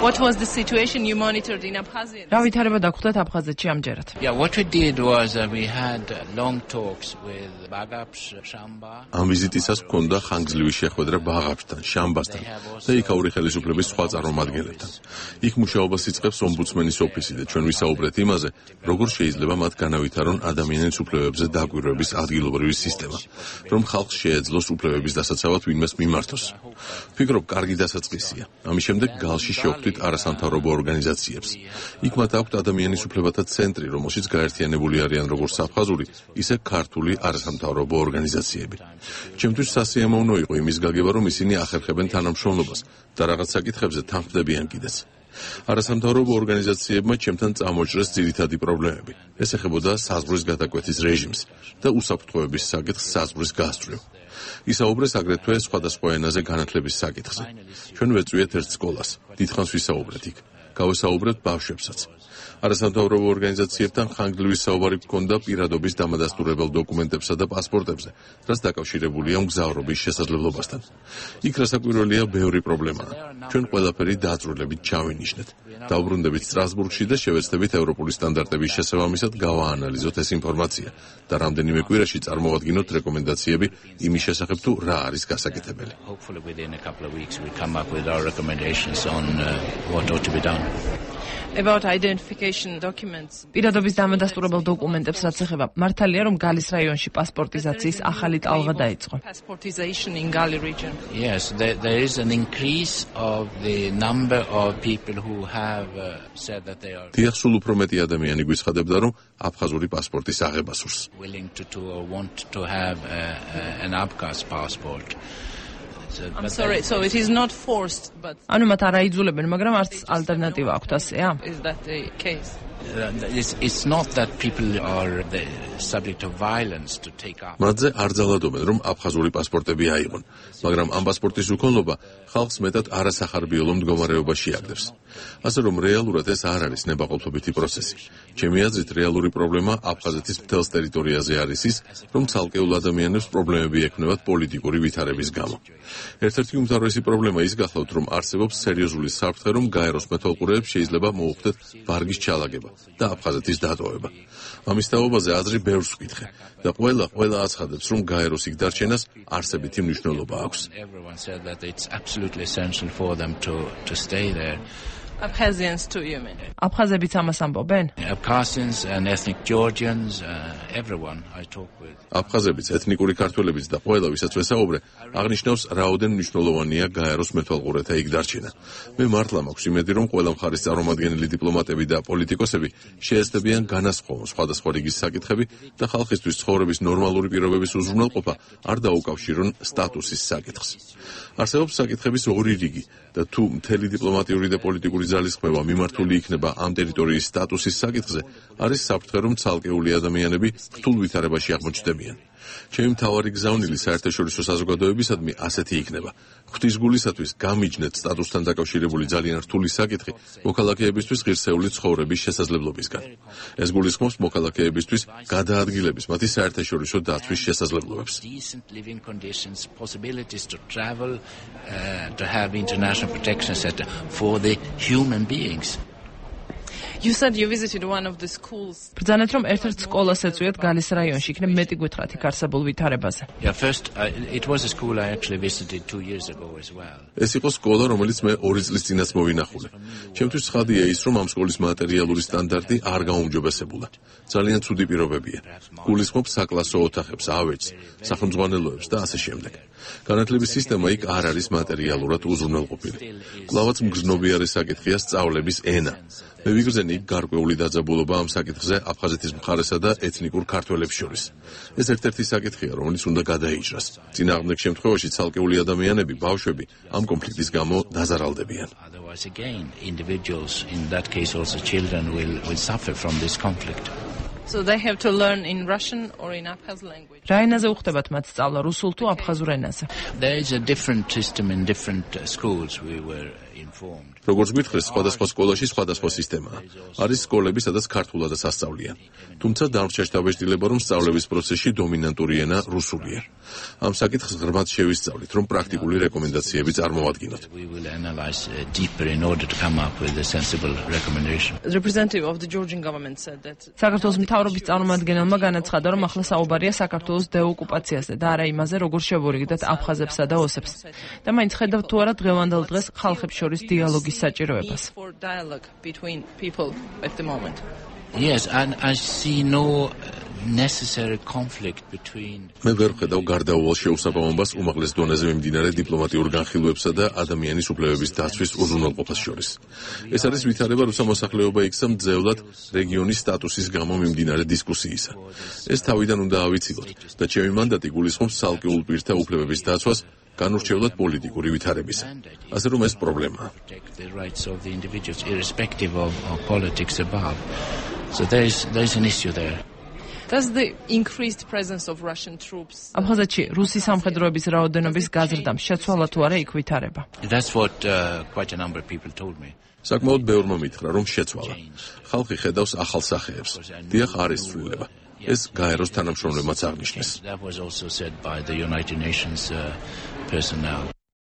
What was the situation you monitored in Abkhazia? რა ვითარება დაგხვდათ აფხაზეთში ამჯერად? Yeah, what we did was we had long talks with Bagapsh, Shamba. ამ ვიზიტისას ჰქონდა ხანგრძლივი შეხვედრა ბაღაფშთან, შამბასთან და იქაური ხელისუფლების სხვა წარმომადგენლებთან. იქ მუშაობას იწყებს ომბუდსმენის ოფისი და ჩვენ ვისაუბრეთ იმაზე, როგორ შეიძლება მათ განავითარონ ადამიანის უფლებებზე დაკვირვების ადგილობრივი სისტემა, რომ ხალხს შეეძლოს უფლებების დასაცავად ვინმეს მიმართოს. ვფიქრობ, კარგი დასაწყისია. ამის შემდეგ გალში შევხვდით არასამთავრობო ორგანიზაციებს. იქ მათ აქვთ ადამიანის უფლებათა ცენტრი, რომელშიც გაერთიანებული არიან როგორც აფხაზური, ისე ქართული არასამთავრობო ორგანიზაციები. ჩემთვის სასიამოვნო იყო იმის გაგება, რომ ისინი ახერხებენ თანამშრომლობას და რაღაც საკითხებზე თანხმდებიან კიდეც. არასამთავრობო ორგანიზაციებმა ჩემთან წამოჭრეს ძირითადი პრობლემები. ეს ეხებოდა საზღვრის გადაკვეთის რეჟიმს და უსაფრთხოების საკითხს საზღვრის გასწვრივ. ისაუბრეს აგრეთვე სხვადასხვა ენაზე განათლების საკითხზე. ჩვენ ვეწვიეთ ერთ სკოლას, დიდხანს ვისაუბრეთ იქ. გავესაუბრეთ ბავშვებსაც. არასამთავრობო ორგანიზაციებთან ხანგრძლივი საუბარი გქონდა პირადობის დამადასტურებელ დოკუმენტებსა და პასპორტებზე, რაც დაკავშირებულია მგზავრობის შესაძლებლობასთან. იქ რასაკვირველია ბევრი პრობლემაა. ჩვენ ყველაფერი დაწვრილებით ჩავინიშნეთ. დავბრუნდებით სტრასბურგში და შევეცდებით ევროპული სტანდარტების შესაბამისად გავაანალიზოთ ეს ინფორმაცია და რამდენიმე კვირაში წარმოვადგინოთ რეკომენდაციები იმის შესახებ თუ რა არის გასაკეთებელი. About identification documents. პირადობის დამადასტურებელ დოკუმენტებს რაც ეხება, მართალია რომ გალის რაიონში პასპორტიზაციის ახალი ტალღა დაიწყო. Passportization in Gali region. Yes, there is an increase of the number of people who have said that they are დიახ, სულ უფრო მეტი ადამიანი გვიცხადებდა, რომ აფხაზური პასპორტის აღება სურს. willing to or want to have an Abkhaz passport. I'm sorry, so it is not forced, but ანუ მათ არ აიძულებენ, მაგრამ არც ალტერნატივა აქვთ, ასეა? is that the case? It's not that people are the subject of violence to take up. მათზე არ ძალადობენ, რომ აფხაზური პასპორტები აიღონ, მაგრამ ამ პასპორტის უქონლობა ხალხს მეტად არასახარბიელო მდგომარეობაში აგდებს. ასე რომ რეალურად ეს არ არის ნებაყოფლობითი პროცესი. ჩემი აზრით, რეალური პრობლემა აფხაზეთის მთელს ტერიტორიაზე არის ის, რომ ცალკეულ ადამიანებს პრობლემები ექმნებათ პოლიტიკური ვითარების გამო. ერთ-ერთი უმთავრესი პრობლემა ის გახლავთ, რომ არსებობს სერიოზული საფრთხე, რომ გაეროს მეთვალყურეებს შეიძლება მოუხდეთ ვარგის ჩალაგება და აფხაზეთის დატოვება. ამის თაობაზე აზრი ბევრს ვკითხე და ყველა აცხადებს, რომ გაეროს იქ დარჩენას არსებითი მნიშვნელობა აქვს. Everyone said that it's absolutely essential for them to stay there. Abkhazians too, you mean? აფხაზებიც ამას ამბობენ? Abkhazians and ethnic Georgians, everyone I talk with. აფხაზებიც, ეთნიკური ქართველებიც და ყველა ვისაც ვესაუბრე, აღნიშნავს რაოდენ მნიშვნელოვანია გაეროს მეთვალყურეთა იქ დარჩენა. მე მართლა მაქვს იმედი, რომ ყველა მხარის წარმომადგენელი დიპლომატები და პოლიტიკოსები შეეცდებიან განასხვაონ სხვადასხვა რიგის საკითხები და ხალხისთვის ცხოვრების ნორმალური პირობების უზრუნველყოფა არ დაუკავშირონ სტატუსის საკითხს. არსებობს საკითხების ორი რიგი და თუ მთელი დიპლომატიური და პოლიტიკური ძალისხმევა მიმართული იქნება ამ ტერიტორიის სტატუსის საკითხზე, არის საფრთხე, რომ ცალკეული ადამიანები რთულ ვითარებაში აღმოჩნდებიან. ჩემი მთავარი გზავნილი საერთაშორისო საზოგადოებისადმი ასეთი იქნება. ღვთისგულისათვის გამიჯნეთ სტატუსთან დაკავშირებული ძალიან რთული საკითხი მოქალაქეებისთვის ღირსეული ცხოვრების შესაძლებლობისგან. ეს გულისხმობს მოქალაქეებისთვის გადაადგილების მათი საერთაშორისო დაცვის შესაძლებლობებს. Decent living conditions, possibilities to travel, to have international protection, etc. for the human beings. You said you visited one of the schools. ბრძანეთ რომ ერთ-ერთ სკოლას ეწვიათ გალის რაიონში, იქნებ მეტი გითხრათ იქ არსებულ ვითარებაზე. Yeah, first it was a school I actually visited 2 years ago as well. ეს იყო სკოლა, რომელიც მე 2 წლის წინაც მოვინახულე. ჩემთვის ცხადია ის, რომ ამ სკოლის მატერიალური სტანდარტი არ გაუმჯობესებულა. ძალიან ცუდი პირობებია. გულისხმობს საკლასო ოთახებს, ავეჯს, სახელმძღვანელოებს და ასე შემდეგ. განათლების სისტემა იქ არ არის მატერიალურად უზრუნველყოფილი. კვლავაც მგრძნობიარე საკითხია სწავლების ენა. მე ვიგრძენი იქ გარკვეული დაძაბულობა ამ საკითხზე აფხაზეთის მხარესა და ეთნიკურ ქართველებს შორის. ეს ერთ-ერთი საკითხია, რომელიც უნდა გადაიჭრას. წინააღმდეგ შემთხვევაში ცალკეული ადამიანები, ბავშვები ამ კონფლიქტის გამო დაზარალდებიან. Otherwise again, individuals, in that case also children will suffer from this conflict. So they have to learn in Russian or in Abkhaz language. რა ენაზე უხდებათ მათ სწავლა, რუსულ თუ აფხაზურ ენაზე? There is a different system in different schools. We were informed. როგორც გითხრეს, სხვადასხვა სკოლაში სხვადასხვა სისტემაა. არის სკოლები, სადაც ქართულადაც ასწავლიან. თუმცა დარჩა დაბეჭდილება, რომ სწავლების პროცესში დომინანტური ენა რუსულია. ამ საკითხს ღრმად შევისწავლით, რომ პრაქტიკული რეკომენდაციები წარმოვადგინოთ. We will analyze deeper in order to come up with a sensible recommendation. The representative of the Georgian government said that საქართველოს მთავრობის წარმომადგენელმა განაცხადა, რომ ახლა საუბარია საქართველოს დეოკუპაციაზე და არა იმაზე, როგორ შევურიგდეთ აფხაზებსა და ოსებს. და მაინც ხედავთ თუ არა დღევანდელ დღეს ხალხებს შორის დიალოგის საჭიროებას. for dialogue between people at the moment. Yes, and I see no necessary conflict between მე ვერ ვხედავ გარდაუვალ შეუსაბამობას უმაღლეს დონეზე მიმდინარე დიპლომატიურ განხილვებსა და ადამიანის უფლებების დაცვის უზრუნველყოფას შორის. ეს არის ვითარება რუსა მოსახლეობა იქცა მძევლად რეგიონის სტატუსის გამო მიმდინარე დისკუსიისა. ეს თავიდან უნდა ავიცილოთ და ჩემი მანდატი გულისხმობს ცალკეულ პირთა უფლებების დაცვას განურჩევლად პოლიტიკური ვითარებისა. ასე რომ ეს პრობლემაა. protect the rights of the individuals irrespective of politics above. So there is an issue there. Does the increased presence of Russian troops აფხაზეთში რუსი სამხედროების რაოდენობის გაზრდამ შეცვალა თუ არა იქ ვითარება. That's what quite a number of people told me. საკმაოდ ბევრმა მითხრა, რომ შეცვალა. ხალხი ხედავს ახალ სახეებს. დიახ, არის ცვლილება. ეს გაეროს თანამშრომლებმაც აღნიშნეს. That was also said by the United Nations personnel.